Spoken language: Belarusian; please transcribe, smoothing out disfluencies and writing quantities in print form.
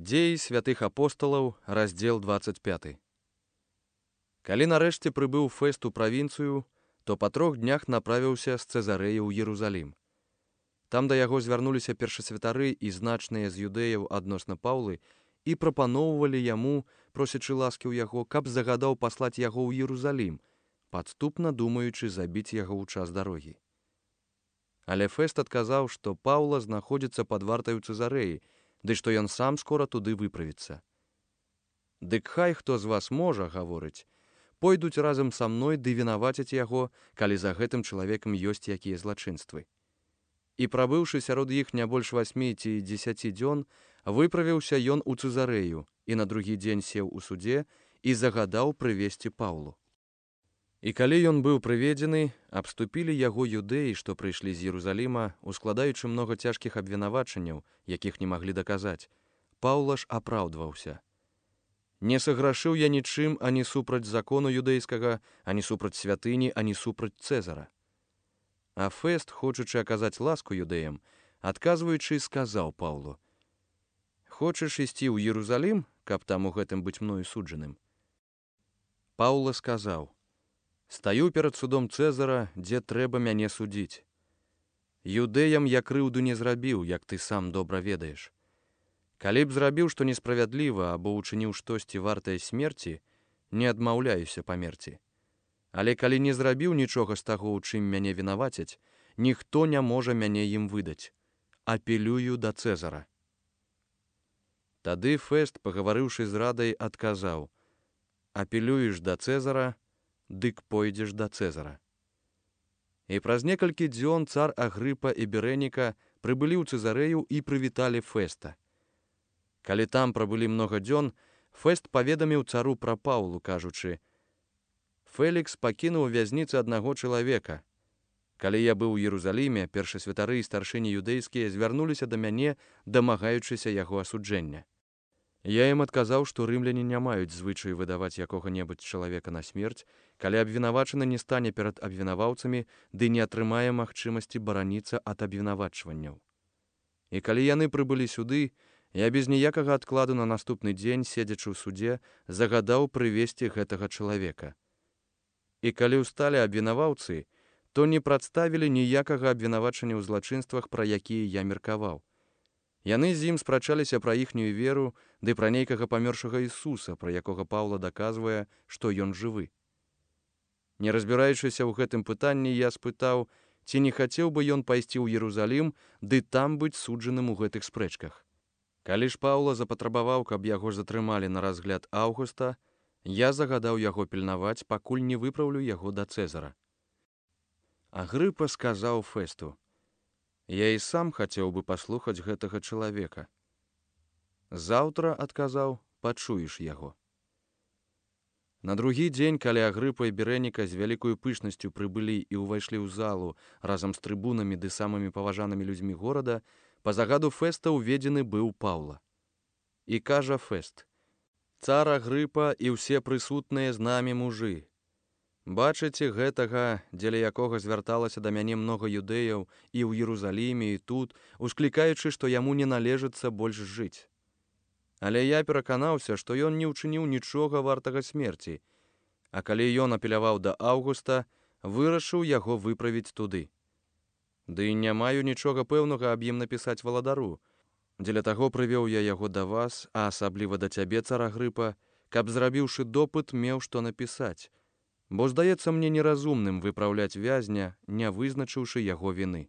Дзеі святых апосталаў, раздзел 25. Калі нарэшце прыбыў Фэст у правінцыю, то па 3 днях направіўся з Цэзарэі ў Єрусалім. Там да яго звярнуліся першасвятары і значныя з юдэяў адносна Паўлы і прапаноўвалі яму, просячы ласкі ў яго, каб загадаў паслаць яго ў Єрусалім, падступна думаючы забіць яго ў час дарогі. Але Фэст адказаў, што Паўла знаходзіцца пад вартай у Цэзарэі, ды што ён сам скора туды выправіцца. «Дык хай хто з вас можа, — гаворыць, — пойдуць разам са мной ды вінаваціць яго, калі за гэтым чалавекам ёсць якія злачынствы». І прабыўшы сярод іх не больш 8 ці 10 дзён, выправіўся ён у Цэзарэю і на другі дзень сеў у судзе і загадаў прывесці Паўлу. І калі ён быў прыведзены, абступілі яго юдэі, што прыйшлі з Єрусаліма, ускладаючы многа цяжкіх абвінавачанняў, якіх не маглі даказаць. Паўла ж апраўдваўся: «Не саграшыў я нічым ані супраць закону юдэйскага, ані супраць святыні, ані супраць Цэзара». А Фэст, хочучы аказаць ласку юдэям, адказваючы, сказаў Паўлу: «Хочаш ісці ў Єрусалім, каб там у гэтым быць мною суджаным?» Паўла сказаў: «Стаю перад судом Цэзара, дзе трэба мяне судзіць. Юдэям я крыўду не зрабіў, як ты сам добра ведаеш. Калі б зрабіў што несправядліва або ўчыніў штосьці вартае смерці, не адмаўляюся памерці. Але калі не зрабіў нічога з таго, у чым мяне вінавацяць, ніхто не можа мяне ім выдаць. Апелюю да Цэзара». Тады Фэст, пагаварыўшы з радай, адказаў: «Апелюеш да Цэзара, дык пойдзеш да Цэзара». І праз некалькі дзён цар Агрыпа і Берэніка прыбылі ў Цэзарэю і прывіталі Фэста. Калі там прабылі многа дзён, Фэст паведаміў цару пра Паўлу, кажучы: «Фэлікс пакінуў у вязніцы аднаго чалавека. Калі я быў у Єрусаліме, першасвятары і старшыні юдэйскія звярнуліся да мяне, дамагаючыся яго асуджэння. Я ім адказаў, што рымляне не маюць звычаю выдаваць якога-небудзь чалавека на смерць, калі абвінавачаны не стане перад абвінаваўцамі ды не атрымае магчымасці бараніцца ад абвінавачванняў. І калі яны прыбылі сюды, я без ніякага адкладу на наступны дзень, седзячы ў суде, загадаў прывесці гэтага чалавека. І калі ўсталі абвінаваўцы, то не прадставілі ніякага абвінавачання ў злачынствах, пра якія я меркаваў. Яны з ім спрачаліся пра іхнюю веру ды пра нейкага памёршага Ісуса, пра якога Паўла даказвае, што ён жывы. Не разбіраючыся ў гэтым пытанні, я спытаў, ці не хацеў бы ён пайсці ў Єрусалім ды там быць суджаным у гэтых спрэчках. Калі ж Паўла запатрабаваў, каб яго затрымалі на разгляд Аўгуста, я загадаў яго пільнаваць, пакуль не выпраўлю яго да Цэзара». Агрыпа сказаў Фэсту: «Я і сам хацеў бы паслухаць гэтага чалавека». «Заўтра, — адказаў, — пачуеш яго». На другі дзень, калі Агрыпа і Берэніка з вялікою пышнасцю прыбылі і ўвайшлі ў залу разам з трыбунамі ды самымі паважанымі людзьмі горада, па загаду Фэста ўведзены быў Паўла. І кажа Фэст: «Цар Агрыпа і ўсе прысутныя з намі мужы, бачыце гэтага, дзеля якога звярталася да мяне многа юдэяў і ў Єрусаліме, і тут, усклікаючы, што яму не належыцца больш жыць. Але я пераканаўся, што ён не ўчыніў нічога вартага смерці, а калі ён апеляваў да Аўгуста, вырашыў яго выправіць туды. Ды не маю нічога пэўнага аб ім напісаць валадару. Дзеля таго прывёў я яго да вас, а асабліва да цябе, цар Агрыпа, каб, зрабіўшы допыт, меў што напісаць, бо здаецца мне неразумным выпраўляць вязня, не вызначыўшы яго віны».